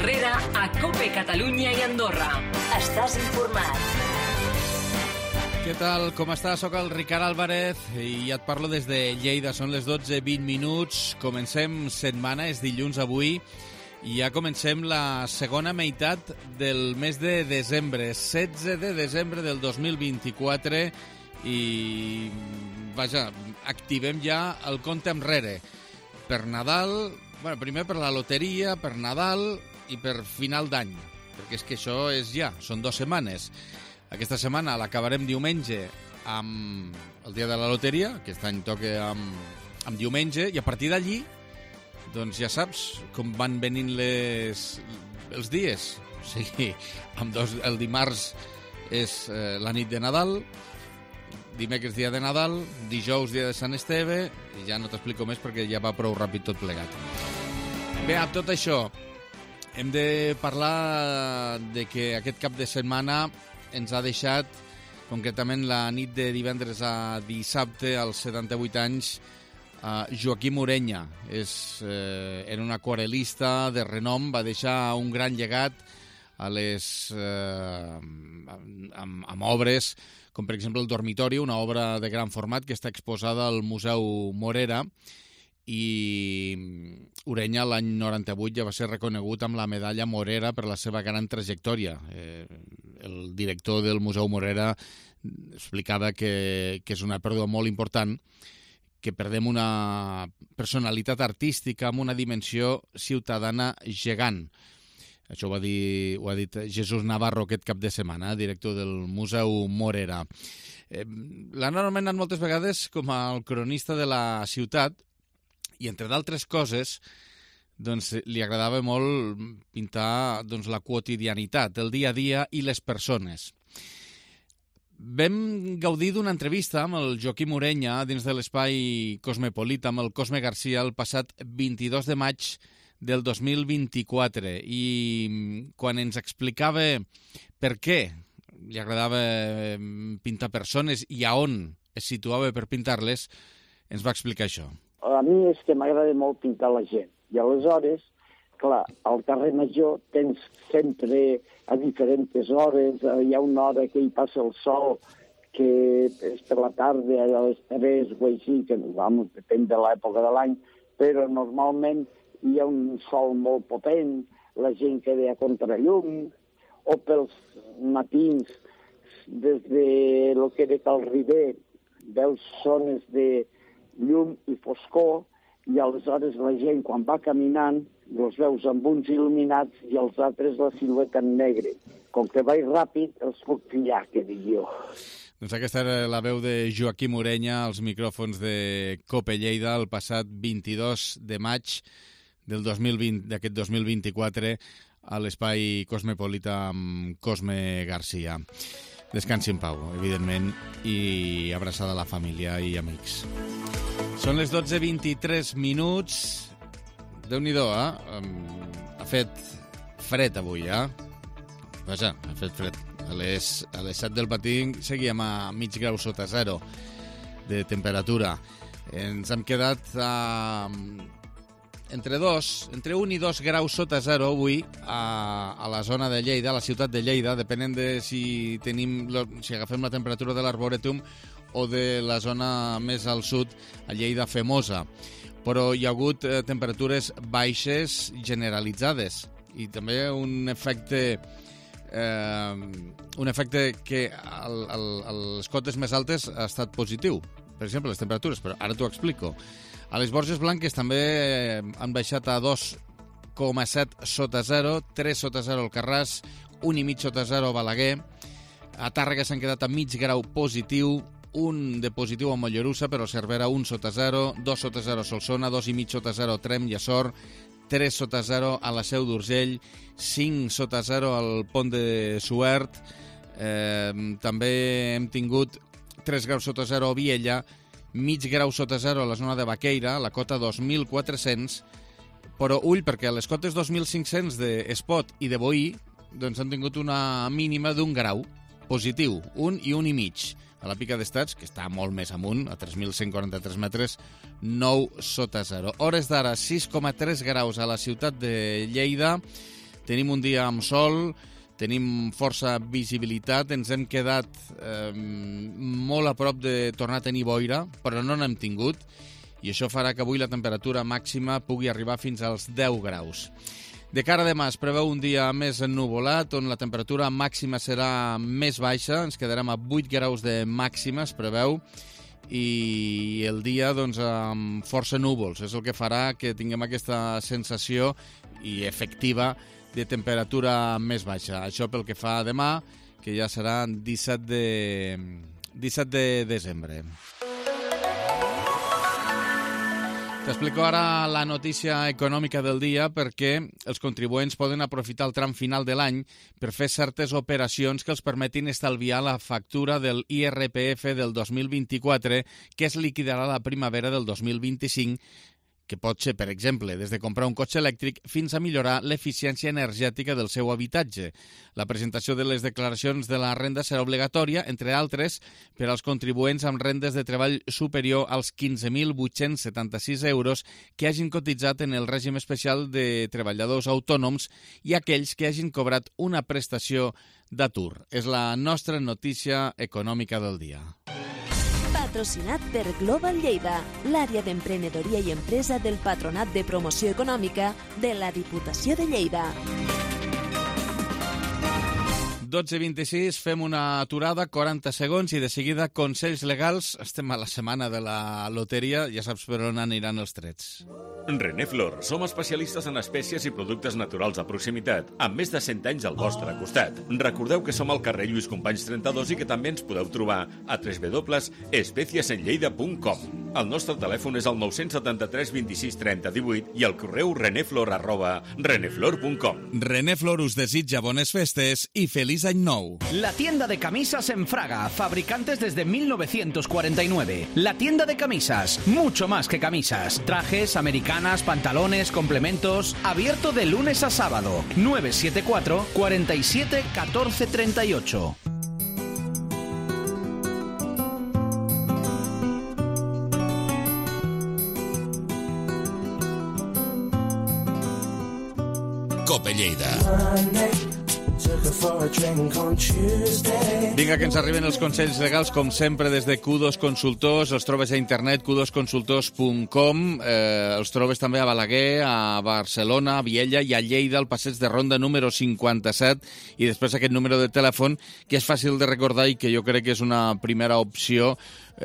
Herrera a COPE Catalunya i Andorra. Estàs informat. Què tal? Com estàs? Soc el Ricard Álvarez i ja et parlo des de Lleida. Són les 12:20. Comencem setmana, és dilluns avui, i ja comencem la segona meitat del mes de desembre, 16 de desembre del 2024, i vaja, activem ja el compte enrere per Nadal, bueno, primer per la loteria, per Nadal i per final d'any, perquè és que això és ja, són 2 setmanes. Aquesta setmana l'acabarem diumenge amb el dia de la loteria, aquest any toca amb diumenge, i a partir d'allí, doncs ja saps com van venint els dies. O sigui, el dimarts és la nit de Nadal, dimecres dia de Nadal, dijous dia de Sant Esteve, i ja no t'explico més perquè ja va prou ràpid tot plegat. Bé, amb tot això, hem de parlar de que aquest cap de setmana ens ha deixat, concretament la nit de divendres a dissabte, als 78 anys, Joaquim Ureña. Era un aquarel·lista de renom, va deixar un gran llegat amb obres, com per exemple el Dormitori, una obra de gran format que està exposada al Museu Morera, i Ureña l'any 98 ja va ser reconegut amb la medalla Morera per la seva gran trajectòria. El director del Museu Morera explicava que és una pèrdua molt important, que perdem una personalitat artística amb una dimensió ciutadana gegant. Això ho ha dit Jesús Navarro aquest cap de setmana, director del Museu Morera. L'han anomenat moltes vegades com el cronista de la ciutat, i entre d'altres coses doncs, li agradava molt pintar la quotidianitat, el dia a dia i les persones. Vam gaudir d'una entrevista amb el Joaquim Ureña dins de l'espai Cosmopolita amb el Cosme Garcia el passat 22 de maig del 2024, i quan ens explicava per què li agradava pintar persones i a on es situava per pintar-les, ens va explicar això. A mi és que m'agrada molt pintar la gent. I aleshores, clar, al carrer Major tens sempre a diferents hores, hi ha una hora que hi passa el sol, que és per la tarda, a les 3 o així, que vamos, depèn de l'època de l'any, però normalment hi ha un sol molt potent, la gent queda a contrallum, o pels matins, des de lo que era Cal Riber, veus zones de llum i foscor, i aleshores la gent, quan va caminant, els veus amb uns il·luminats i els altres la silueta en negre. Com que vaig ràpid, els puc pillar, que dic jo. Doncs aquesta era la veu de Joaquim Ureña als micròfons de COPE Lleida el passat 22 de maig d'aquest 2024 a l'espai Cosmopolita amb Cosme Garcia. Descansi en pau, evidentment, i abraçada a la família i amics. Són les 12:23. Déu-n'hi-do, Ha fet fred avui, Vaja, ha fet fred. A les 7 del matí seguíem a mig grau sota zero de temperatura. Ens hem quedat entre 1 i 2 graus sota zero avui a la zona de Lleida, a la ciutat de Lleida, depenent de si agafem la temperatura de l'Arborètum o de la zona més al sud, a Lleida Femosa. Però hi ha hagut temperatures baixes generalitzades i també un efecte que a les cotes més altes ha estat positiu. Per exemple, les temperatures, però ara t'ho explico. A les Borges Blanques també han baixat a 2,7 sota zero, 3 sota zero al Carràs, 1,5 sota zero a Balaguer. A Tàrrega s'han quedat a mig grau positiu, 1 de positiu a Mollerussa, però Cervera 1 sota 0, 2 sota 0 a Solsona, 2,5 sota 0 a Tremp i Açor, 3 sota 0 a la Seu d'Urgell, 5 sota 0 al Pont de Suert. També hem tingut 3 graus sota 0 a Viella, mig grau sota 0 a la zona de Baqueira, la cota 2.400, però ull, perquè a les cotes 2.500 d'Espot i de Boí doncs han tingut una mínima d'1 grau positiu, 1 i 1,5. A la Pica d'Estats, que està molt més amunt, a 3.143 metres, 9 sota 0. Hores d'ara, 6,3 graus a la ciutat de Lleida, Tenim un dia amb sol, tenim força visibilitat, ens hem quedat molt a prop de tornar a tenir boira, però no n'hem tingut, i això farà que avui la temperatura màxima pugui arribar fins als 10 graus. De cara a demà es preveu un dia més ennuvolat, on la temperatura màxima serà més baixa, ens quedarem a 8 graus de màxima, es preveu, i el dia doncs, amb força núvols. És el que farà que tinguem aquesta sensació i efectiva de temperatura més baixa. Això pel que fa a demà, que ja serà 17 de desembre. T'explico ara la notícia econòmica del dia perquè els contribuents poden aprofitar el tram final de l'any per fer certes operacions que els permetin estalviar la factura del IRPF del 2024 que es liquidarà la primavera del 2025, que pot ser, per exemple, des de comprar un cotxe elèctric fins a millorar l'eficiència energètica del seu habitatge. La presentació de les declaracions de la renda serà obligatòria, entre altres, per als contribuents amb rendes de treball superior als 15.876 euros que hagin cotitzat en el règim especial de treballadors autònoms i aquells que hagin cobrat una prestació d'atur. És la nostra notícia econòmica del dia. Patrocinat per Global Lleida, l'àrea d'emprenedoria i empresa del Patronat de Promoció Econòmica de la Diputació de Lleida. 12:26, fem una aturada, 40 segons, i de seguida consells legals. Estem a la setmana de la loteria, ja saps per on aniran els trets. Reneflor, som especialistes en espècies i productes naturals de proximitat, amb més de 100 anys al vostre costat. Recordeu que som al carrer Lluís Companys 32 i que també ens podeu trobar a www.especiesenlleida.com. El nostre telèfon és el 973 26 30 18 i el correu reneflor@reneflor.com. Reneflor us desitja bones festes i feliç any nou. La tienda de camisas en Fraga, fabricantes desde 1949. La tienda de camisas, mucho más que camisas. Trajes, americanas, pantalones, complementos. Abierto de lunes a sábado. 974 47 14 38. Cope Lleida. Vinga, que ens arriben els consells legals, com sempre, des de Q2 Consultors. Els trobes a internet, q2consultors.com. Els trobes també a Balaguer, a Barcelona, a Viella i a Lleida, al passeig de Ronda número 57. I després aquest número de telèfon, que és fàcil de recordar i que jo crec que és una primera opció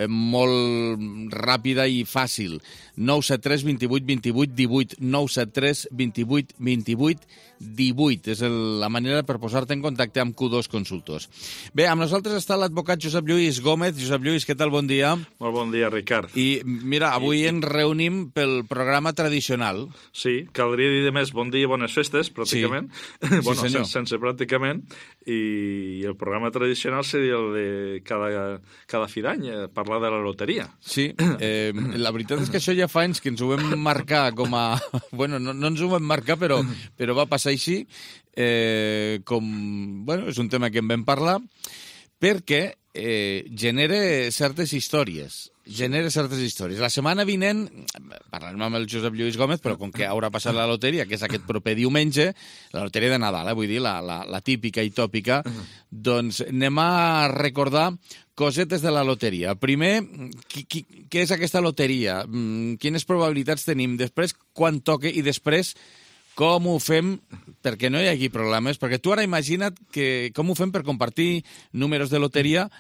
molt ràpida i fàcil. 973 28 28 18. 973 28 28 18. És la manera per posar-te en contacte amb Q2 Consultors. Bé, amb nosaltres està l'advocat Josep Lluís Gómez. Josep Lluís, què tal? Bon dia. Molt bon dia, Ricard. I mira, avui ens reunim pel programa tradicional. Sí, caldria dir de més bon dia i bones festes, pràcticament. Sí. Bueno, sí, sense pràcticament. I el programa tradicional seria el de cada fi d'any, parlar de la loteria. Sí, la veritat és que això ja fa anys que ens ho vam marcar com a... Bueno, no ens ho vam marcar, però va passar així. Bueno, és un tema que en vam parlar, perquè genera certes històries. La setmana vinent, parlarem amb el Josep Lluís Gómez, però com que haurà passat la loteria, que és aquest proper diumenge, la loteria de Nadal, vull dir, la típica i tòpica, doncs anem a recordar cosetes de la loteria. Primer, què és aquesta loteria? Quines probabilitats tenim? Després, quan toca? I després, com ho fem perquè no hi hagi problemes? Perquè tu ara imagina't com ho fem per compartir números de loteria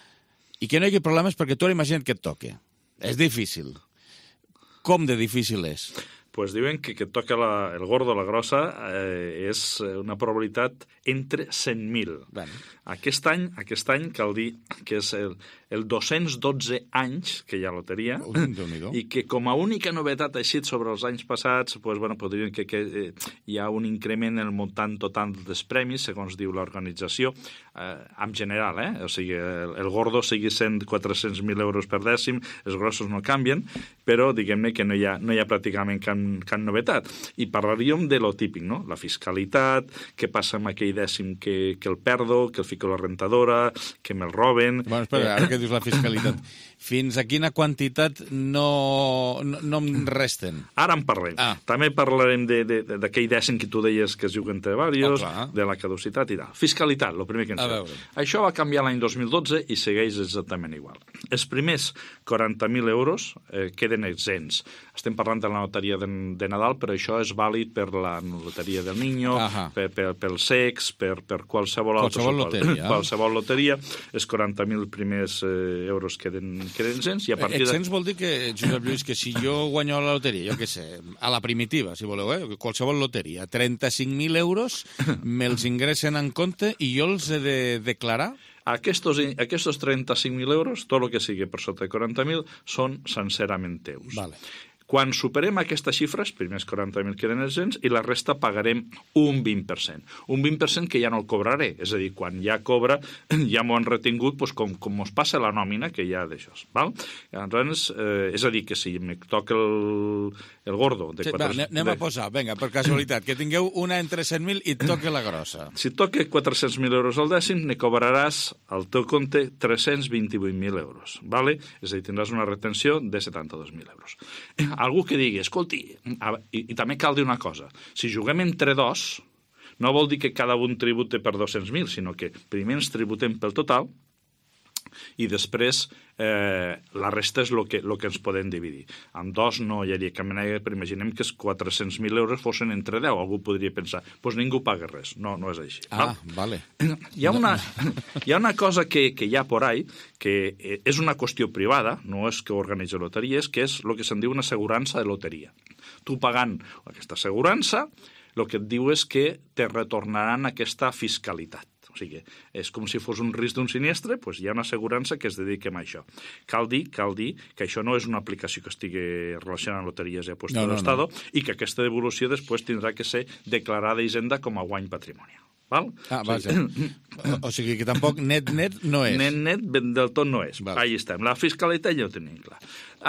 i que no hi hagi problemes perquè tu ara imagina't que et toque. És difícil. Com de difícil és? Pues diuen que et toca el gordo, la grossa, és una probabilitat entre 100.000. Bueno. Aquest any cal dir que és el 212 anys que hi ha loteria i que com a única novetat així sobre els anys passats pues, bueno, podríem que hi ha un increment en el muntant total dels premis, segons diu l'organització, en general, o sigui, el gordo sigui 400.000 euros per dècim, els grossos no canvien, però diguem-ne que no hi ha pràcticament cap cap novetat. I parlaríem de lo típic, no? La fiscalitat, què passa amb aquell dècim que el perdo, que el fico a la rentadora, que me'l roben... Bueno, espera, ara que dius la fiscalitat, fins a quina quantitat no em resten? Ara en parlem. També parlarem d'aquell dècim que tu deies que es diu entre varios, de la caducitat i tal. Fiscalitat, el primer que ens fem. Això va canviar l'any 2012 i segueix exactament igual. Els primers 40.000 euros queden exempts. Estem parlant de la loteria de Nadal, però això és vàlid per la loteria del Niño, pel sex, per qualsevol loteria. Qualsevol loteria, els 40.000 primers euros queden exempts. Exempts vol dir que, Josep Lluís, que si jo guanyo la loteria, jo què sé, a la primitiva, si voleu, qualsevol loteria, 35.000 euros me'ls ingressen en compte i jo els he de declarar? Aquests 35.000 euros, tot el que sigui per sota de 40.000, són sincerament teus. Vale. Quan superem aquestes xifres, primers 40.000 queden exempts i la resta pagarem un 20%. Un 20% que ja no el cobraré. És a dir, quan ja cobra, ja m'ho han retingut com us passa la nòmina que hi ha d'això. Llavors, és a dir, que si me toca el gordo... Anem a posar, vinga, per casualitat, que tingueu una entre 100.000 i et toque la grossa. Si toca 400.000 euros al dècim, ne cobraràs al teu compte 328.000 euros. Vale? És a dir, tindràs una retenció de 72.000 euros. Algú que digui, escolti, i també cal dir una cosa, si juguem entre dos, no vol dir que cada un tribute per 200.000, sinó que primer ens tributem pel total i després la resta és el que ens podem dividir. Amb dos no hi hauria cap manera, però imaginem que els 400.000 euros fossin entre 10. Algú podria pensar, doncs ningú paga res. No és així. Vale. Hi ha una cosa que hi ha por ahí, que és una qüestió privada, no és que organitza loteries, que és el que se'n diu una assegurança de loteria. Tu pagant aquesta assegurança, el que et diu és que te retornaran aquesta fiscalitat. O sigui, és com si fos un risc d'un sinistre, doncs hi ha una assegurança que es dedica a això. Cal dir que això no és una aplicació que estigui relacionada amb loteries i apostes de l'Estat i que aquesta devolució després tindrà que ser declarada a Hisenda com a guany patrimonial. Val? Vaja. O sigui que tampoc net no és. Net del tot no és. Ahí estem. La fiscalitat ja ho tenim clar.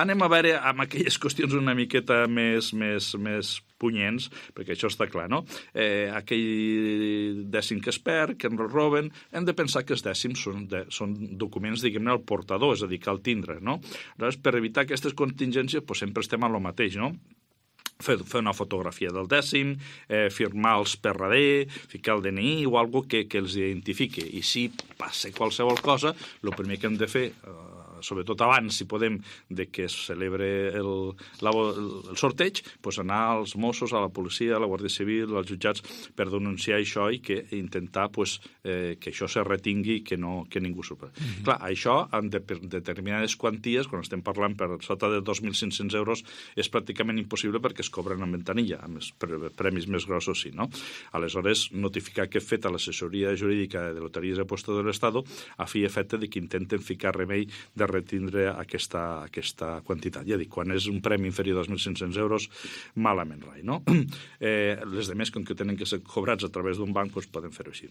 Anem a veure amb aquelles qüestions una miqueta més punyents, perquè això està clar, no? Aquell dècim que es perd, que ens roben, hem de pensar que els dècims són documents, diguem-ne, al portador, és a dir, cal tindre, no? Llavors, per evitar aquestes contingències, sempre estem a lo mateix, no? Fer una fotografia del dècim, firmar-los per darrere, ficar el DNI o alguna cosa que els identifiqui. I si passa qualsevol cosa, el primer que hem de fer, sobretot abans, si podem, de que es celebre el sorteig, doncs anar als Mossos, a la policia, a la Guàrdia Civil, als jutjats, per denunciar això i intentar que això se retingui i que ningú supera. Clar, això, en determinades quanties, quan estem parlant per sota de 2.500 euros, és pràcticament impossible perquè es cobren en ventanilla, amb els premis més grossos sí, no? Aleshores, notificar que he fet a l'assessoria jurídica de Loteries i Apostes de l'Estat a fi i efecte que intenten ficar remei de retindre aquesta quantitat. Ja dic, quan és un premi inferior a 2.500 euros, malament rai, no? Les demés, com que tenen que ser cobrats a través d'un banc, doncs poden fer-ho així.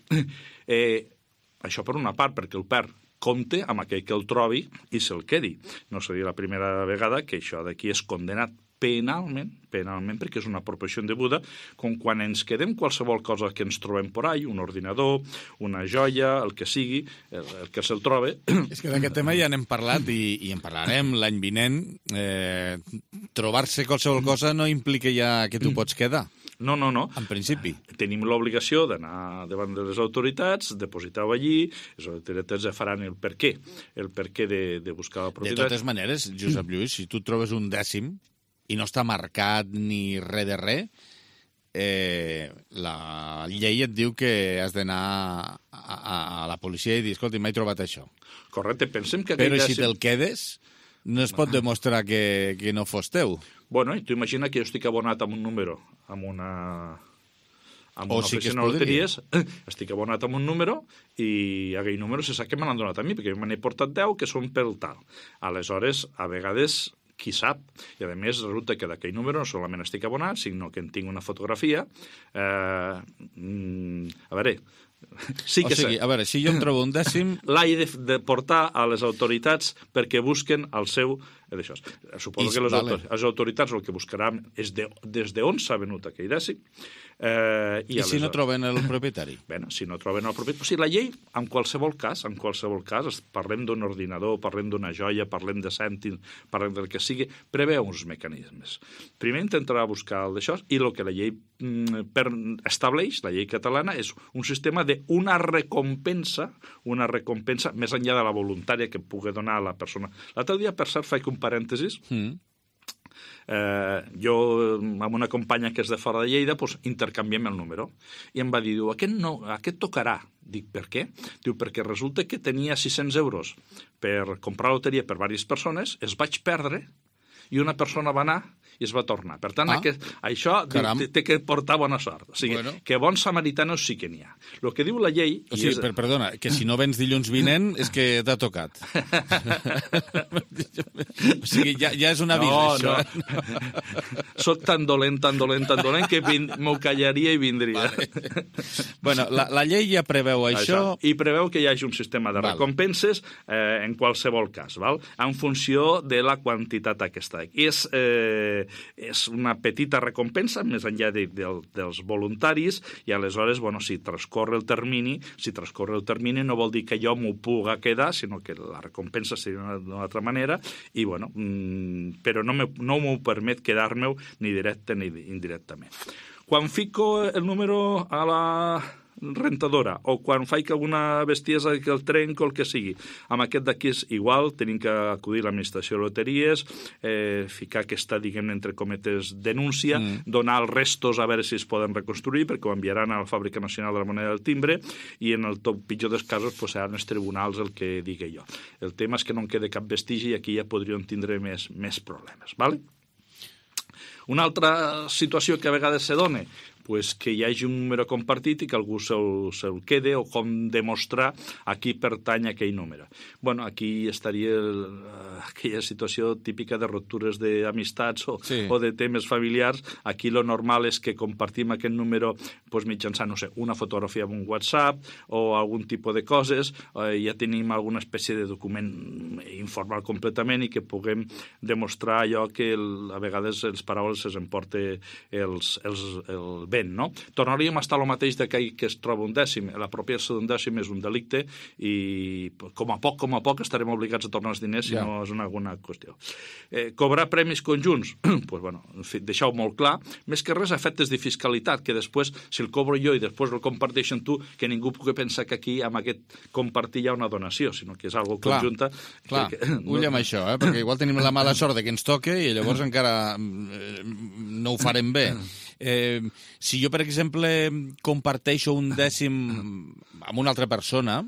Això per una part, perquè el perd compte amb aquell que el trobi i se'l quedi. No seria la primera vegada que això d'aquí és condemnat penalment, perquè és una apropiació indeguda, com quan ens quedem qualsevol cosa que ens trobem por ahí, un ordinador, una joia, el que sigui, el que se'l trobe... És que d'aquest tema ja n'hem parlat i en parlarem l'any vinent. Trobar-se qualsevol cosa no implica ja que tu pots quedar. No. En principi. Tenim l'obligació d'anar davant de les autoritats, depositar-ho allí, les autoritats ja faran el per què de buscar la propietat. De totes maneres, Josep Lluís, si tu trobes un dècim i no està marcat ni res de res, la llei et diu que has d'anar a la policia i dir, escolta, m'he trobat això. Correcte, pensem que... Però si te'l quedes, no es pot demostrar que no fos teu. Bueno, i tu imagina que jo estic abonat amb un número, amb una oficina de loteries, estic abonat amb un número i aquell número se sap que me l'han donat a mi, perquè me n'he portat 10 que són pel tal. Aleshores, a vegades, qui sap, i a més resulta que d'aquell número no solament estic abonat, sinó que en tinc una fotografia. A veure, Sí que o sigui, a veure, si jo em trobo un dècim... L'he de portar a les autoritats perquè busquen el seu... D'això. Suposo que les autoritats el que buscaran és des d'on s'ha venut aquell dècim. I si no troben el propietari? Bé, si no troben el propietari... O sigui, la llei, en qualsevol cas, parlem d'un ordinador, parlem d'una joia, parlem de cèntims, parlem del que sigui, preveu uns mecanismes. Primer intentarà buscar el d'això i el que la llei estableix, la llei catalana, és un sistema d'una recompensa més enllà de la voluntària que pugui donar a la persona. L'altre dia, per cert, faig un parèntesis. Jo, amb una companya que és de fora de Lleida, doncs, intercanviem el número. I em va dir, aquest tocarà. Dic, per què? Diu, perquè resulta que tenia 600 euros per comprar loteria per diverses persones, es vaig perdre i una persona va anar i es va tornar. Per tant, això té que portar bona sort. O sigui, que bons samaritanos sí que n'hi ha. El que diu la llei... O sigui, perdona, que si no vens dilluns vinent és que t'ha tocat. O sigui, ja és un avís, això. No. Soc tan dolent que m'ho callaria i vindria. Vale. Bueno, la llei ja preveu això. I preveu que hi hagi un sistema de recompenses en qualsevol cas, val? En funció de la quantitat aquesta. És una petita recompensa, més enllà dels voluntaris, i aleshores, si transcorre el termini no vol dir que jo m'ho puga quedar, sinó que la recompensa seria d'una altra manera, i però no m'ho permet quedar-me ni directe ni indirectament. Quan fico el número a la rentadora o quan faig alguna bestiesa que el trenco o el que sigui, amb aquest d'aquí és igual, tenim que acudir a l'administració de loteries, ficar aquesta, diguem, entre cometes, denúncia, donar els restos a veure si es poden reconstruir, perquè ho enviaran a la Fàbrica Nacional de la Moneda del Timbre, i en el pitjor dels casos seran els tribunals el que digui jo. El tema és que no en quede cap vestigi i aquí ja podríem tindre més problemes, ¿vale? Una altra situació que a vegades se dona, que hi hagi un número compartit i que algú se'l quede, o com demostrar a qui pertany aquell número. Aquí estaria aquella situació típica de ruptures d'amistats o de temes familiars. Aquí lo normal és que compartim aquest número mitjançant, una fotografia en un WhatsApp o algun tipus de coses, ja tenim alguna espècie de document informal completament i que puguem demostrar allò que a vegades les paraules es emporta el vent, no? Tornaríem a estar el mateix d'aquell que es troba un dècim. L'apropiació d'un dècim és un delicte i com a poc estarem obligats a tornar els diners si no és alguna qüestió. Cobrar premis conjunts, deixar-ho molt clar, més que res efectes de fiscalitat, que després, si el cobro jo i després el comparteixen tu, que ningú pugui pensar que aquí amb aquest compartir hi ha una donació, sinó que és algo conjunta. Clar, ull amb això, perquè igual tenim la mala sort que ens toque i llavors encara no ho farem bé. Si jo, per exemple, comparteixo un dècim amb una altra persona,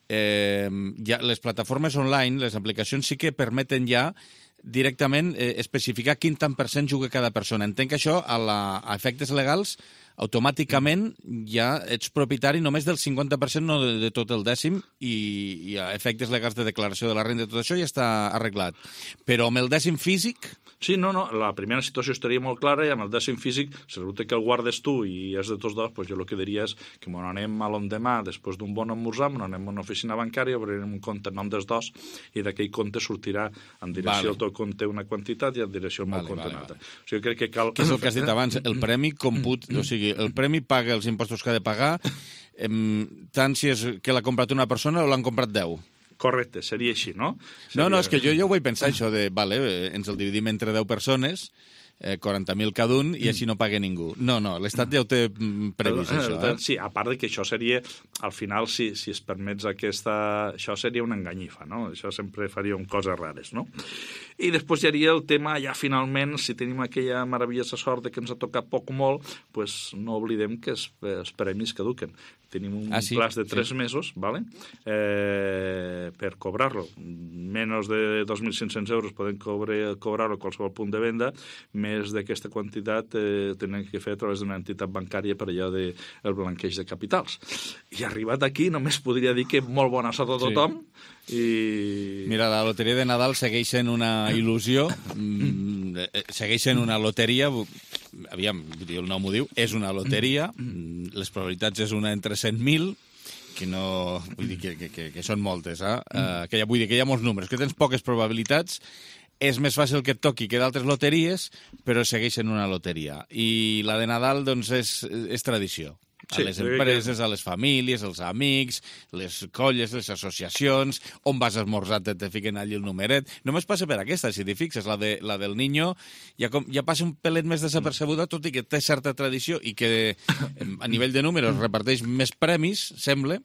les plataformes online, les aplicacions sí que permeten ja directament especificar quin tant per cent juga cada persona. Entenc que això, a efectes legals, automàticament ja ets propietari només del 50%, no de tot el dècim, i a efectes legals de declaració de la renda, tot això ja està arreglat. Però amb el dècim físic... Sí, no, la primera situació estaria molt clara i amb el dècim físic, si resulta que el guardes tu i és de tots dos, jo el que diria és que anem a l'endemà, després d'un bon esmorzar, anem a una oficina bancària, obrirem un compte en nom dels dos i d'aquell compte sortirà en direcció al teu compte una quantitat i en direcció al meu compte una altra. O sigui, crec que cal... Que és el que has dit abans, el premi o sigui, el premi paga els impostos que ha de pagar, tant si és que l'ha comprat una persona o l'han comprat 10. Correcte, seria així, no? No, és que jo ho vaig pensar, això de, ens el dividim entre 10 persones, 40.000 cada un, i així no paga ningú. No, l'Estat ja ho té previst, això. Sí, a part que això seria, al final, si es permets això seria una enganyifa, no? Això sempre faríem coses rares, no? I després hi hauria el tema, ja finalment, si tenim aquella meravellosa sort de que ens ha tocat poc o molt, doncs no oblidem que els premis caduquen. Tenim un plaç de 3 mesos, ¿vale? Per cobrar-lo. Menys de 2.500 euros poden cobrar-lo a qualsevol punt de venda, més d'aquesta quantitat tenen que fer a través d'una entitat bancària per allò del blanqueig de capitals. I arribat aquí només podria dir que molt bona sort a tothom. Mira, la loteria de Nadal segueix sent una il·lusió, segueix sent una loteria, aviam, el nom ho diu, és una loteria, les probabilitats és una entre 100.000, que no... Vull dir que són moltes, que vull dir que hi ha molts números, que tens poques probabilitats, és més fàcil que et toqui que d'altres loteries, però segueix sent una loteria. I la de Nadal, doncs, és tradició. A les empreses, a les famílies, als amics, les colles, les associacions, on vas a esmorzar te fiquen allí el numeret. Només passa per aquesta, si t'hi fixes, la del Niño ja passa un pelet més desapercebuda, tot i que té certa tradició i que a nivell de números reparteix més premis, sembla.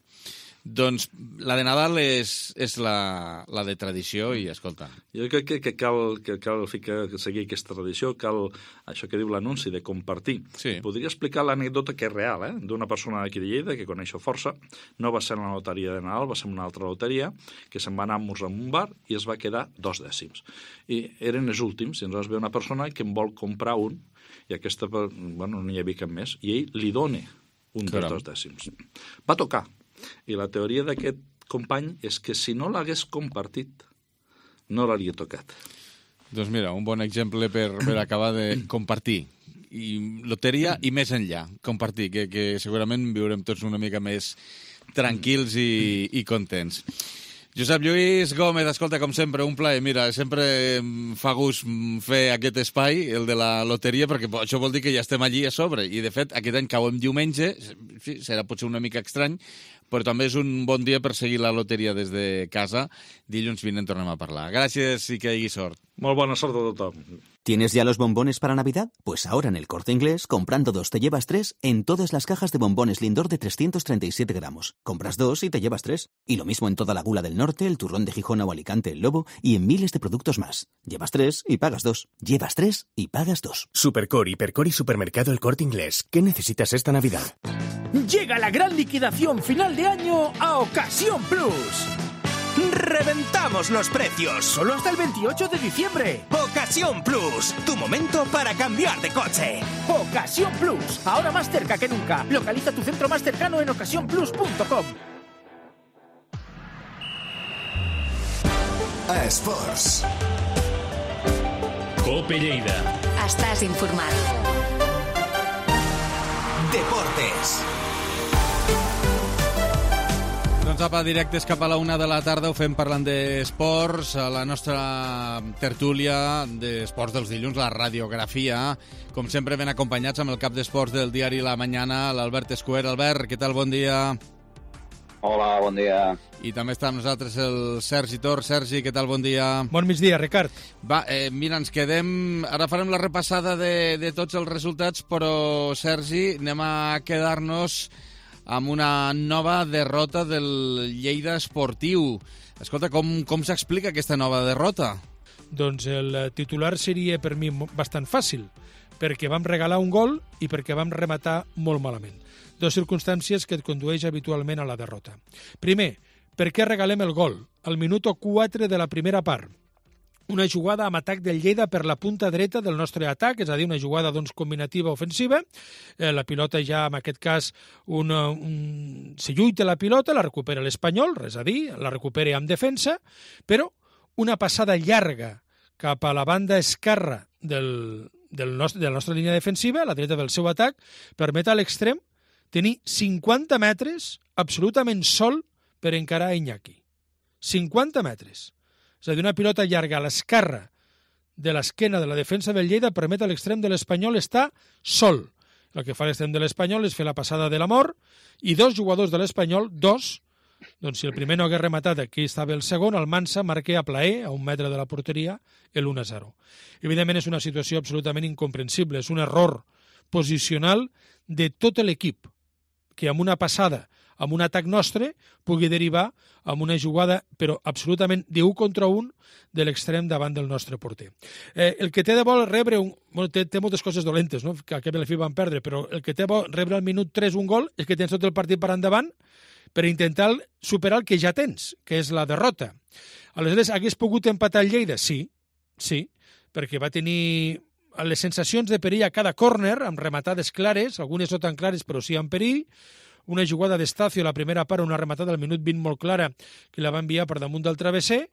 Doncs la de Nadal és la de tradició i, escolta... Jo crec que cal seguir aquesta tradició, cal això que diu l'anunci de compartir. Sí. Podria explicar l'anècdota que és real, d'una persona d'aquí de Lleida que coneixo força. No va ser en la loteria de Nadal, va ser en una altra loteria, que se'n va anar a esmorzar en un bar i es va quedar 2 dècims. I eren els últims, i ens ve una persona que en vol comprar un, i aquesta, no hi havia cap més, i ell li dona un dels 2 dècims. Va tocar. I la teoria d'aquest company és que si no l'hagués compartit, no l'hauria tocat. Doncs mira, un bon exemple per acabar de compartir. I loteria i més enllà, compartir, que segurament viurem tots una mica més tranquils i contents. Josep Lluís Gómez, escolta, com sempre, un plaer. Mira, sempre em fa gust fer aquest espai, el de la loteria, perquè això vol dir que ja estem allí a sobre. I, de fet, aquest any cau en diumenge, serà potser una mica estrany, però també és un bon dia per seguir la loteria des de casa. Dilluns vinent tornem a parlar. Gràcies i que hi hagi sort. Molt bona sort a tothom. ¿Tienes ya los bombones para Navidad? Pues ahora en El Corte Inglés, comprando 2 te llevas 3 en todas las cajas de bombones Lindor de 337 gramos. Compras 2 y te llevas 3. Y lo mismo en toda la Gula del Norte, el Turrón de Gijón o Alicante, el Lobo y en miles de productos más. Llevas 3 y pagas 2. Llevas 3 y pagas 2. Supercor, Hipercor y Supermercado El Corte Inglés. ¿Qué necesitas esta Navidad? Llega la gran liquidación final de año a Ocasión Plus. ¡Reventamos los precios! Solo hasta el 28 de diciembre. Ocasión Plus, tu momento para cambiar de coche. Ocasión Plus, ahora más cerca que nunca. Localiza tu centro más cercano en ocasiónplus.com. Esports. Cope Lleida. Estàs informat. Deportes. Doncs apa, directes cap a la 1 de la tarda, ho fem parlant d'esports, a la nostra tertúlia d'esports dels dilluns, la radiografia, com sempre ben acompanyats amb el cap d'esports del diari La Mañana, l'Albert Escuer. Albert, què tal? Bon dia. Hola, bon dia. I també està amb nosaltres el Sergi Tor. Sergi, què tal? Bon dia. Bon migdia, Ricard. Va, mira, ens quedem... Ara farem la repassada de tots els resultats, però, Sergi, anem a quedar-nos amb una nova derrota del Lleida Esportiu. Escolta, com s'explica aquesta nova derrota? Doncs el titular seria per mi bastant fàcil, perquè vam regalar un gol i perquè vam rematar molt malament. 2 circumstàncies que et condueix habitualment a la derrota. Primer, per què regalem el gol? Al minut 4 de la primera part. Una jugada amb atac del Lleida per la punta dreta del nostre atac, és a dir, una jugada combinativa ofensiva. La pilota ja, en aquest cas, se lluita la pilota, la recupera l'Espanyol, res a dir, la recupera amb defensa, però una passada llarga cap a la banda esquerra de la nostra línia defensiva, a la dreta del seu atac, permet a l'extrem tenir 50 metres absolutament sol per encarar Iñaki. 50 metres. És a dir, una pilota llarga a l'esquerra de l'esquena de la defensa del Lleida permet a l'extrem de l'Espanyol estar sol. El que fa l'extrem de l'Espanyol és fer la passada de la mort i 2 jugadors de l'Espanyol, 2, doncs si el primer no hagués rematat, aquí estava el segon, el Mansa marca a plaer, a 1 metre de la porteria, el 1-0. Evidentment és una situació absolutament incomprensible, és un error posicional de tot l'equip, que amb una passada, amb un atac nostre, pugui derivar amb una jugada, però absolutament d'1 contra 1 de l'extrem davant del nostre porter. El que té de bo rebre té moltes coses dolentes, no? Que a la fi van perdre, però el que té bo rebre al minut 3 un gol és que tens tot el partit per endavant per intentar superar el que ja tens, que és la derrota. Aleshores, hagués pogut empatar el Lleida? Sí, perquè va tenir les sensacions de perill a cada córner, amb rematades clares, algunes no tan clares, però sí amb perill, una jugada d'Estacio a la primera part, una rematada al minut 20 molt clara, que la va enviar per damunt del travesser,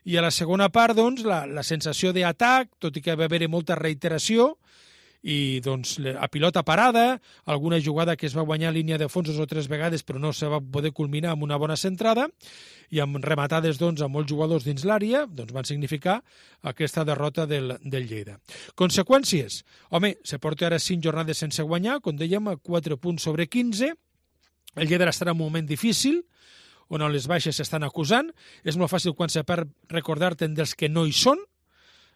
i a la segona part, doncs, la sensació d'atac, tot i que va haver molta reiteració, i doncs a pilota parada, alguna jugada que es va guanyar a línia de fons 2 o 3 vegades però no se va poder culminar amb una bona centrada i amb rematades doncs, amb molts jugadors dins l'àrea doncs, van significar aquesta derrota del Lleida. Conseqüències? Home, se porta ara 5 jornades sense guanyar, com dèiem, 4 punts sobre 15. El Lleida estarà en un moment difícil, on les baixes s'estan acusant. És molt fàcil quan se perd recordar-te'n dels que no hi són,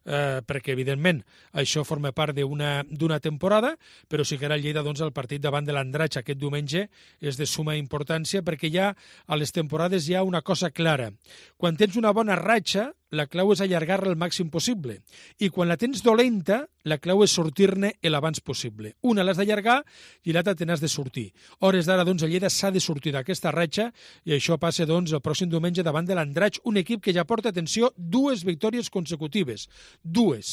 perquè, evidentment, això forma part d'una temporada, però sí que ara el Lleida, doncs, el partit davant de l'Andratx aquest diumenge és de suma importància, perquè ja a les temporades hi ha una cosa clara. Quan tens una bona ratxa, la clau és allargar-la el màxim possible. I quan la tens dolenta, la clau és sortir-ne l'abans possible. Una l'has d'allargar i l'altra te n'has de sortir. Hores d'ara, doncs, el Lleida s'ha de sortir d'aquesta ratxa i això passa, doncs, el pròxim diumenge davant de l'Andratx, un equip que ja porta, atenció, 2 victòries consecutives. 2.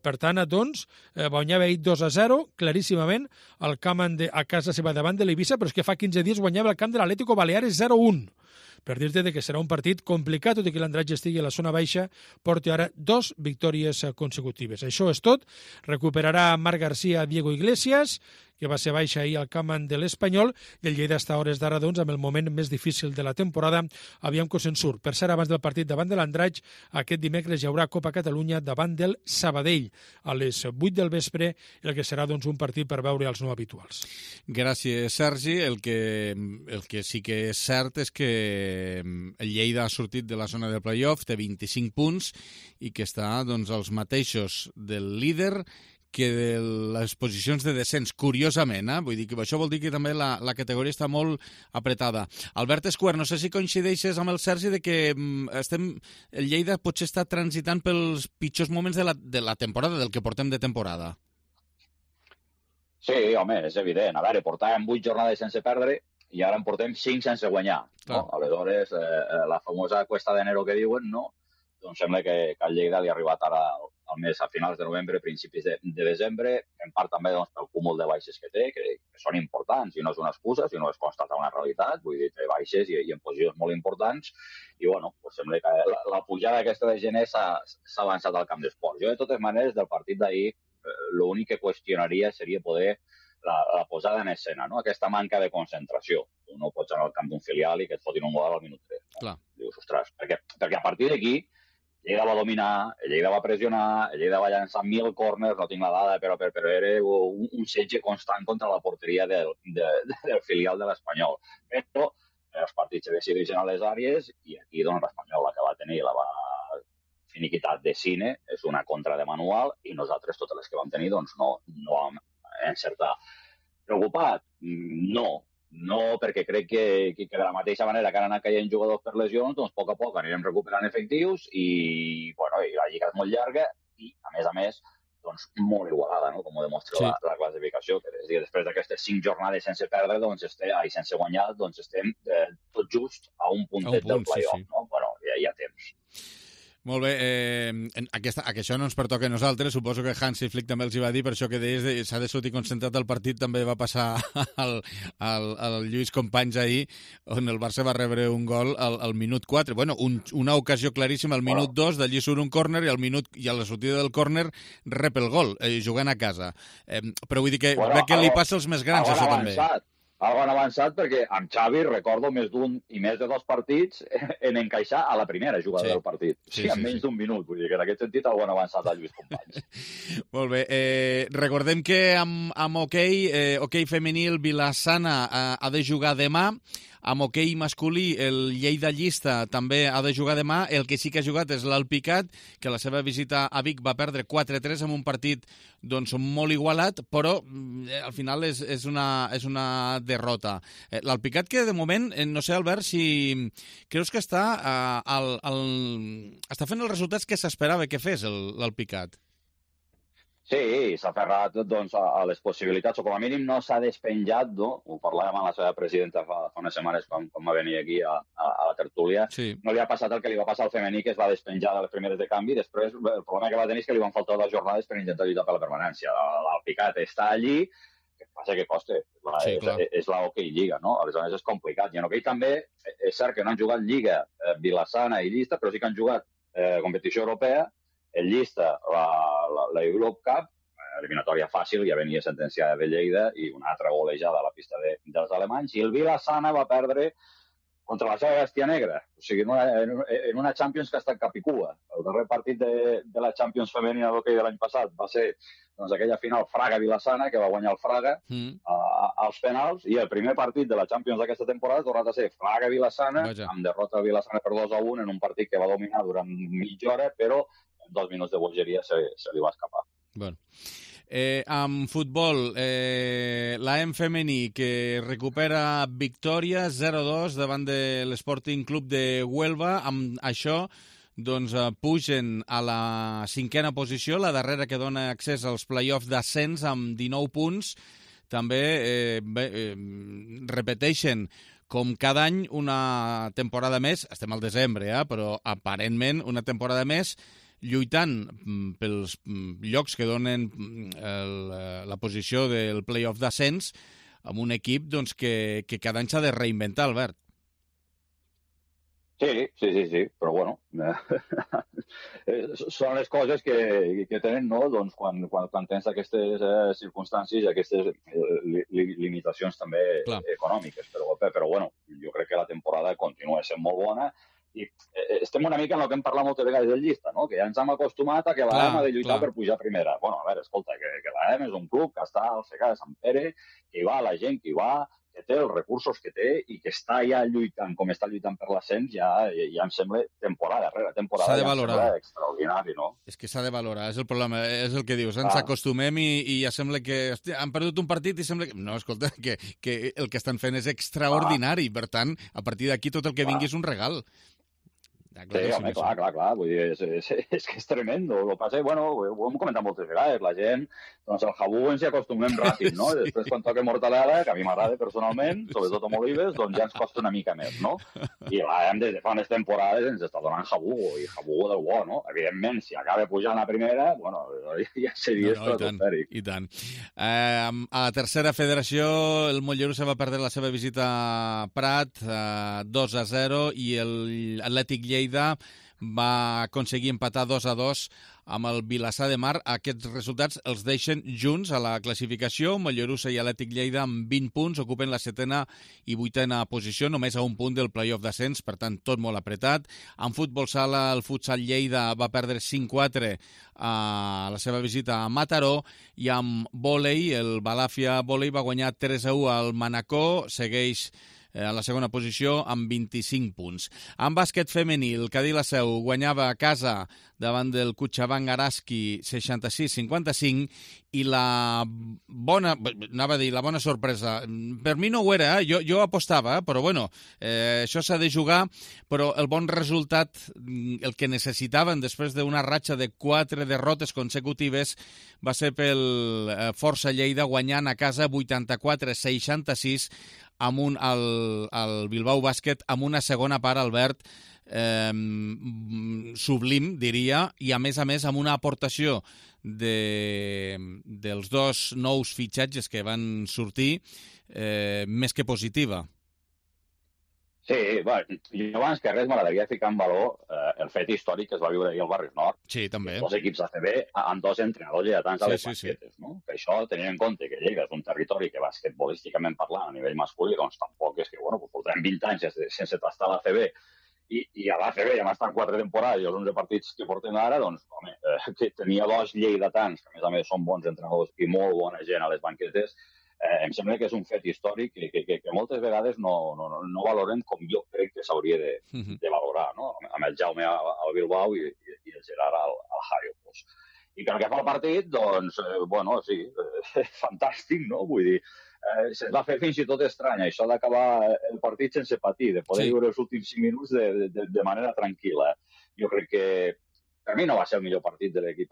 Per tant, doncs, guanyava ahir 2-0, claríssimament, al camp a casa seva davant de l'Eivissa, però és que fa 15 dies guanyava el camp de l'Atlético Baleares 0-1. Per dir-te que serà un partit complicat, tot i que l'Andratx estigui a la zona baixa, porta ara 2 victòries consecutives. Això és tot. Recuperarà Marc García, Diego Iglesias, que va ser baixa ahir al camp de l'Espanyol, i el Lleida està a hores d'ara, doncs, amb el moment més difícil de la temporada. Aviam que se'n surt. Per cert, abans del partit davant de l'Andratx, aquest dimecres hi haurà Copa Catalunya davant del Sabadell, a les 8 del vespre, el que serà, doncs, un partit per veure els no habituals. Gràcies, Sergi. El que sí que és cert és que el Lleida ha sortit de la zona del playoff, té 25 punts, i que està, doncs, als mateixos del líder que de les posicions de descens, curiosament, Vull dir que això vol dir que també la categoria està molt apretada. Albert Escuer, no sé si coincideixes amb el Sergi de que el Lleida potser està transitant pels pitjors moments de la temporada, del que portem de temporada. Sí, home, és evident. A veure, portàvem 8 jornades sense perdre i ara en portem 5 sense guanyar. No? Aleshores, la famosa cuesta d'enero que diuen, no? Doncs sembla que al Lleida li ha arribat ara al mes a finals de novembre, principis de desembre, en part també doncs, pel cúmul de baixes que té, que són importants, i no és una excusa, sinó és constatar una realitat, vull dir, té baixes i en posicions molt importants, i bueno, doncs sembla que la pujada aquesta de gener s'ha avançat al camp d'esports. Jo, de totes maneres, del partit d'ahir, l'únic que qüestionaria seria poder la posada en escena, no? Aquesta manca de concentració. Tu no pots anar al camp d'un filial i que et fotin un gol al minut 3. No? Clar. Dius, ostres, perquè a partir d'aquí Lleida va dominar, Lleida va pressionar, Lleida va llançar 1000 córners, no tinc la dada, però era un setge constant contra la porteria del filial de l'Espanyol. Però els partits se decideixen a les àrees i aquí doncs, l'Espanyol la que va tenir la va finiquitat de cine, és una contra de manual i nosaltres totes les que vam tenir doncs, no vam encertar. Preocupat? No, perquè crec que de la mateixa manera que han anat caient jugadors per lesions, doncs a poc anirem recuperant efectius i la lliga és molt llarga i, a més, doncs, molt igualada, no? Com ho demostra la classificació, que és a dir, després d'aquestes 5 jornades sense perdre, doncs, sense guanyar, doncs estem tot just a un puntet del playoff, no? Bueno, ja hi ha temps. Molt bé, que això no ens pertoca a nosaltres, suposo que Hansi Flick també els hi va dir, per això que deies s'ha de sortir concentrat al partit, també va passar al Lluís Companys ahir, on el Barça va rebre un gol al minut 4. Bueno, una ocasió claríssima al minut 2, d'allí surt un córner i a la sortida del córner rep el gol, jugant a casa. Però vull dir que crec que li passa als més grans, això també. Algo han avançat perquè amb Xavi recordo més d'un i més de 2 partits en encaixar a la primera jugada del partit. Sí, en menys d'un minut. Vull dir que en aquest sentit algo han avançat a Lluís Companys. Molt bé. Recordem que amb hoquei femení el Vila-sana ha de jugar demà. Amb hoquei masculí, el Lleida Llista també ha de jugar demà. El que sí que ha jugat és l'Alpicat, que la seva visita a Vic va perdre 4-3 en un partit doncs, molt igualat, però al final és una derrota. L'Alpicat que de moment, no sé, Albert, si creus que està fent els resultats que s'esperava que fes l'Alpicat. Sí, s'ha aferrat doncs, a les possibilitats, o com a mínim no s'ha despenjat, no? Ho parlàvem amb la seva presidenta fa unes setmanes quan va venir aquí a la tertúlia. Sí. No li ha passat el que li va passar al femení, que es va despenjar de les primeres de canvi, després el problema que va tenir és que li van faltar 2 jornades per intentar lluitar per la permanència. L'Alpicat està allí, que passa que costa, és la hoquei Lliga, no? Aleshores és complicat. I en hoquei també és cert que no han jugat Lliga, Vila-sana i Llista, però sí que han jugat competició europea, el Llista, la Europe Cup, eliminatòria fàcil, ja venia sentenciada de Lleida i una altra golejada a la pista dels alemanys, i el Vilassana va perdre contra la seva bèstia negra, o sigui, en una Champions que ha estat cap i cua. El darrer partit de la Champions femenina d'hoquei de l'any passat va ser aquella final Fraga-Vilassana, que va guanyar el Fraga als penals, i el primer partit de la Champions d'aquesta temporada ha tornat a ser Fraga-Vilassana, amb derrota de Vilassana per 2-1 en un partit que va dominar durant mitja hora, però en 2 minuts de bogeria se li va escapar. Bueno. Amb futbol, l'AM femení que recupera victòria 0-2 davant de l'Sporting Club de Huelva. Amb això doncs, pugen a la 5a posició, la darrera que dona accés als play-offs d'ascens amb 19 punts. També repeteixen com cada any una temporada més, estem al desembre, però aparentment una temporada més, lluitant pels llocs que donen la posició del play-off d'ascens amb un equip doncs, que cada any s'ha de reinventar, Albert. Sí, però bueno, són les coses que tenen, no? Doncs quan tens aquestes circumstàncies i aquestes limitacions també econòmiques. Però bueno, jo crec que la temporada continua sent molt bona. I estem una mica en el que hem parlat moltes vegades del Llista, no? Que ja ens hem acostumat a que l'AM ha de lluitar per pujar a primera. Bueno, a veure, escolta, que l'AM és un club que està al Segà de Sant Pere, que hi va la gent que hi va, que té els recursos que té i que està ja lluitant, com està lluitant per l'ascens, ja em sembla temporada rere temporada. S'ha de valorar. Ja em sembla extraordinari, no? És que s'ha de valorar, és el problema, és el que dius. Ens acostumem i ja sembla que han perdut un partit i sembla que... No, escolta, que el que estan fent és extraordinari. Per tant, a partir d'aquí tot el que vingui és un regal. Sí, home, clar. Vull dir, és que és tremendo. El que passa, bueno, ho hem comentat moltes vegades, la gent, doncs el jabú ens hi acostumem ràpid, no? I després quan toca mortadela, que a mi m'agrada personalment, sobretot amb olives, doncs ja ens costa una mica més, no? I l'AM des de fa unes temporades ens està donant jabugo, i jabugo del bo, no? Evidentment, si acaba pujant a primera, bueno, ja seria estratosfèric. I tant. A la tercera federació, el Mollerussa va perdre la seva visita a Prat 2-0 i l'Atlètic Lleida va aconseguir empatar 2-2 amb el Vilassar de Mar. Aquests resultats els deixen junts a la classificació. Mollerussa i Atlètic Lleida amb 20 punts ocupen la 7a i 8a posició, només a un punt del play-off d'ascens, per tant, tot molt apretat. En futbol sala, el Futsal Lleida va perdre 5-4 a la seva visita a Mataró, i amb vòlei, el Balàfia Vòlei va guanyar 3-1 al Manacor, segueix a la segona posició amb 25 punts. En bàsquet femení, el Cadí la Seu guanyava a casa davant del Cochabamba Araski 66-55, i la bona sorpresa, per mi no ho era, jo apostava, però bueno, això s'ha de jugar, però el bon resultat, el que necessitaven després d'una ratxa de 4 derrotes consecutives, va ser pel Força Lleida guanyant a casa 84-66 amb al Bilbao Bàsquet, amb una segona part, Albert, sublim, diria, i a més amb una aportació dels dos nous fitxatges que van sortir més que positiva. Sí, bueno, jo abans que res m'agradaria ficar en valor el fet històric que es va viure ahir al Barris Nord. Sí, també. Dos equips ACB amb dos entrenadors lleidatans a les basquetes, no? Que això, tenint en compte que Lleida és un territori que basquetbolísticament parlant a nivell masculí, doncs tampoc és que, bueno, portem 20 anys sense tastar a l'ACB, i a l'ACB ja m'estan 4 temporades i els 11 partits que portem ara, doncs, home, que tenia dos lleidatans, que a més són bons entrenadors i molt bona gent a les banquetes, em sembla que és un fet històric que moltes vegades no valorem com jo crec que s'hauria de valorar, no? Amb el Jaume al Bilbao i el Gerard al Hario. I pel que fa al partit, doncs, bueno, sí, fantàstic, no? Vull dir, se'ns va fer fins i tot estrany, això d'acabar el partit sense patir, de poder viure els últims 5 minuts de manera tranquil·la. Jo crec que per mi no va ser el millor partit de l'equip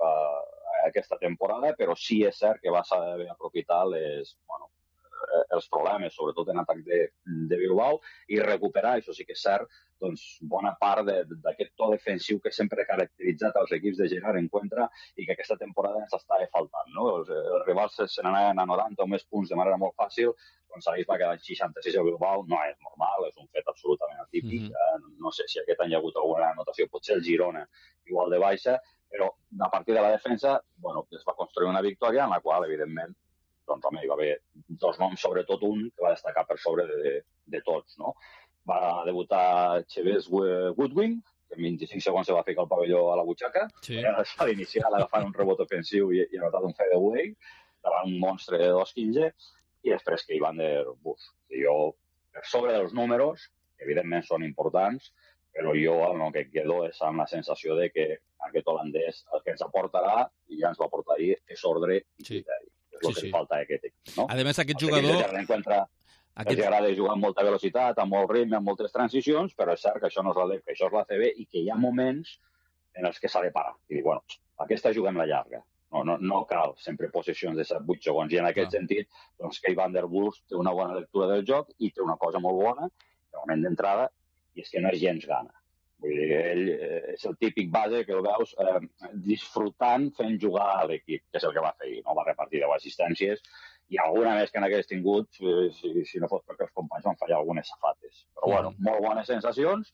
aquesta temporada, però sí és cert que va saber aprofitar els problemes, sobretot en atac de Bilbao, i recuperar, això sí que és cert, doncs, bona part d'aquest to defensiu que sempre ha caracteritzat els equips de Gerard en contra i que aquesta temporada ens estava faltant, no? Els rivals se n'anaven a 90 o més punts de manera molt fàcil, doncs ahir va quedar 66 a Bilbao, no és normal, és un fet absolutament atípic. No sé si aquest any hi ha hagut alguna anotació, potser el Girona igual de baixa, Però a partir de la defensa, bueno, es va construir una victòria en la qual, evidentment, doncs, home, hi va haver dos noms, sobretot un, que va destacar per sobre de tots, no? Va debutar Chavez Goodwin, que en 25 segons se va ficar el pavelló a la butxaca, a l'iniciar agafant un rebot ofensiu i anotat un fadeaway, davant un monstre de 2'15", i després que Evander Bush. Jo, per sobre dels números, evidentment són importants, però jo el que quedo és amb la sensació de que aquest holandès el que ens aportarà, i ja ens va aportar ahir, és ordre i criteri. És el que li falta a aquest equip. No? A més, aquest jugador... Els agrada jugar amb molta velocitat, amb molt ritme, amb moltes transicions, però és cert que això no és la LEP, que això és la CB i que hi ha moments en els que s'ha de parar. I dir, bueno, aquesta juguem la llarga. No cal sempre possessions de 7-8 segons. I en aquest sentit, doncs, que Van der Bulls té una bona lectura del joc i té una cosa molt bona, de moment d'entrada, i és que no és gens gana. Vull dir, ell és el típic base que el veus disfrutant fent jugar a l'equip, que és el que va fer ahir, no? Va repartir 10 assistències i alguna més que n'hagués tingut, si no fos perquè els companys van fallar algunes safates. Però, bueno, molt bones sensacions,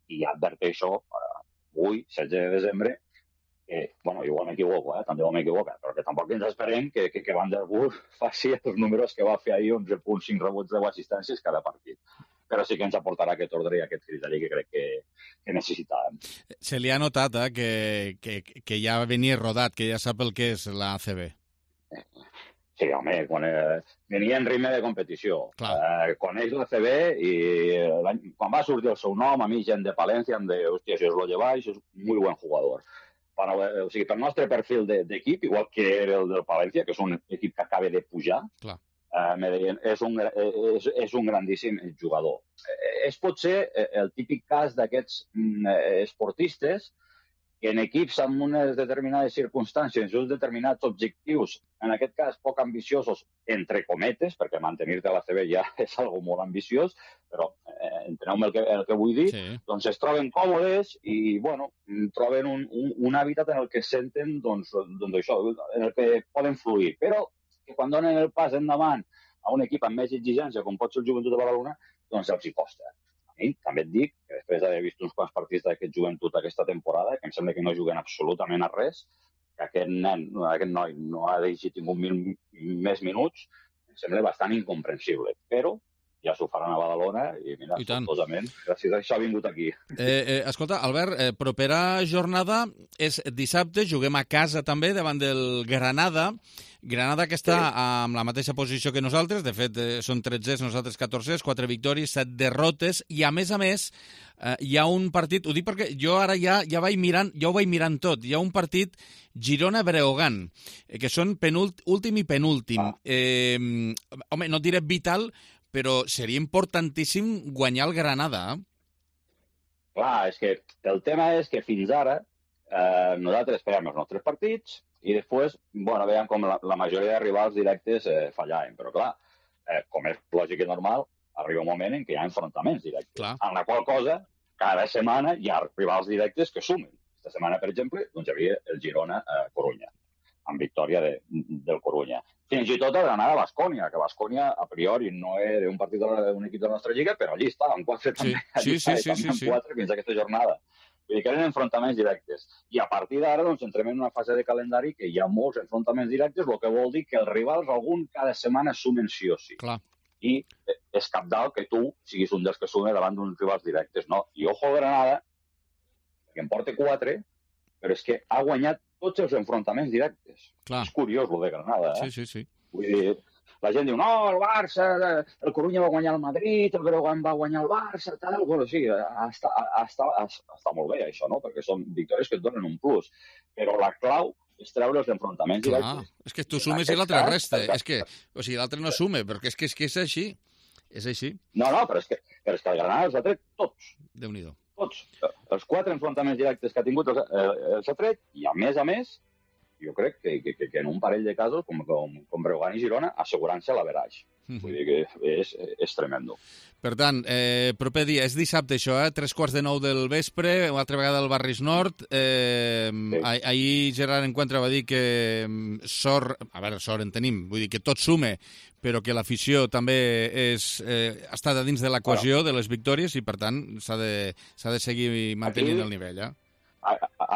i adverteixo avui, 16 de desembre, que, bueno, igual m'equivoco, també m'equivoco, però que tampoc ens esperem que Van der Bulls faci els números que va fer ahir, 11.5 rebots, 10 assistències cada partit. Però sí que ens aportarà aquest ordre i aquest criteri que crec que necessitàvem. Se li ha notat que ja venia rodat, que ja sap el que és la ACB. Sí, home, venia en ritme de competició. Coneix la CB i quan va sortir el seu nom, a mi gent de Palencia em deia, hòstia, si us lo lleváis, és un muy buen jugador. O sigui, pel nostre perfil d'equip, igual que era el del Palencia, que és un equip que acaba de pujar, me deien, és un grandíssim jugador. És potser el típic cas d'aquests esportistes que en equips amb unes determinades circumstàncies, uns determinats objectius, en aquest cas poc ambiciosos, entre cometes, perquè mantenir-te a la CB ja és algo molt ambiciós, però enteneu-me el que vull dir, doncs es troben còmodes i, bueno, troben un hàbitat en el que senten, doncs això, en el que poden fluir. Però que quan donen el pas endavant a un equip amb més exigència, com pot ser el Joventut de Badalona, doncs els hi costa. A mi també et dic que després d'haver vist uns quants partits d'aquest Joventut aquesta temporada, que em sembla que no juguen absolutament a res, que aquest noi no ha tingut més minuts, em sembla bastant incomprensible. Però ja s'ho faran a Badalona i, mira, sortosament, gràcies a això ha vingut aquí. Escolta, Albert, propera jornada és dissabte, juguem a casa també davant del Granada. Granada que està amb la mateixa posició que nosaltres, de fet són 13, nosaltres 14, 4 victòries, 7 derrotes, i a més, hi ha un partit, ho dic perquè jo ara ja ho vaig mirant tot, hi ha un partit Girona-Breogán, que són últim i penúltim. Home, no diré vital, però seria importantíssim guanyar el Granada. Clar, és que el tema és que fins ara nosaltres fèiem els nostres partits i després, bueno, veiem com la majoria de rivals directes fallaven. Però clar, com és lògic i normal, arriba un moment en què hi ha enfrontaments directes. En la qual cosa, cada setmana hi ha rivals directes que sumen. Aquesta setmana, per exemple, doncs hi havia el Girona-Corunya, amb victòria del Corunya. Fins i tot el Granada-Bascònia, que Bascònia, a priori, no era un partit d'un equip de la nostra lliga, però allí està, amb 4 també. Sí. Amb 4 fins a aquesta jornada. Vull dir que eren enfrontaments directes. I a partir d'ara doncs, entrem en una fase de calendari que hi ha molts enfrontaments directes, el que vol dir que els rivals, algun cada setmana, sumen sí o sí. I és cabdal que tu siguis un dels que sumen davant d'uns rivals directes, no? I ojo a Granada, que en porta 4, però és que ha guanyat tots els enfrontaments directes. És curiós, el de Granada, Sí. Vull dir, la gent diu, no, el Barça, el Corunya va guanyar el Madrid, el Breogán va guanyar el Barça, tal. Bueno, sí, està molt bé, això, no? Perquè són victòries que et donen un plus. Però la clau és treure els enfrontaments directes. És que tu sumes i l'altre resta. O sigui, l'altre no sume, perquè és que és així. És així. No, però és que el Granada els ha tret tots. Déu-n'hi-do. Tots. Els 4 enfrontaments directes que ha tingut els ha tret, i a més, jo crec que en un parell de casos, com Breogán i Girona, assegurant-se l'averaix. Vull dir que és tremendo. Per tant, proper dia, és dissabte això, 3:45 del vespre, una altra vegada al Barris Nord. Ahir Gerard Encuentra va dir que sort en tenim, vull dir que tot sume, però que l'afició també està dins de la cohesió de les victòries i, per tant, s'ha de seguir mantenint el nivell.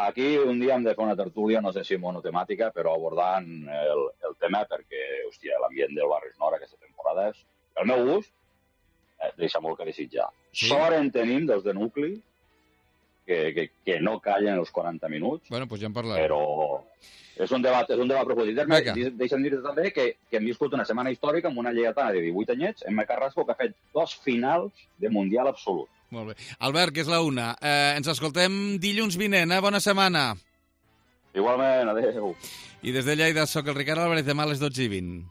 aquí un dia hem de fer una tertúlia, no sé si monotemàtica, però abordant el tema, perquè, hòstia, l'ambient del Barris Nord aquesta temporada és, el meu gust, deixa molt que desitjar. Sí. Sort en tenim dels de nucli, que no callen els 40 minuts. Bueno, doncs ja en parlarem. Però és un debat profundit. Deixa'm dir-te també que hem viscut una setmana històrica amb una lleidatana de 18 anyets, Emma Carrasco, que ha fet 2 finals de Mundial absolut. Molt bé. Albert, que és la 1. Ens escoltem dilluns vinent, Bona setmana. Igualment, adéu. I des de Lleida, soc el Ricard Álvarez, demà a les 12:20.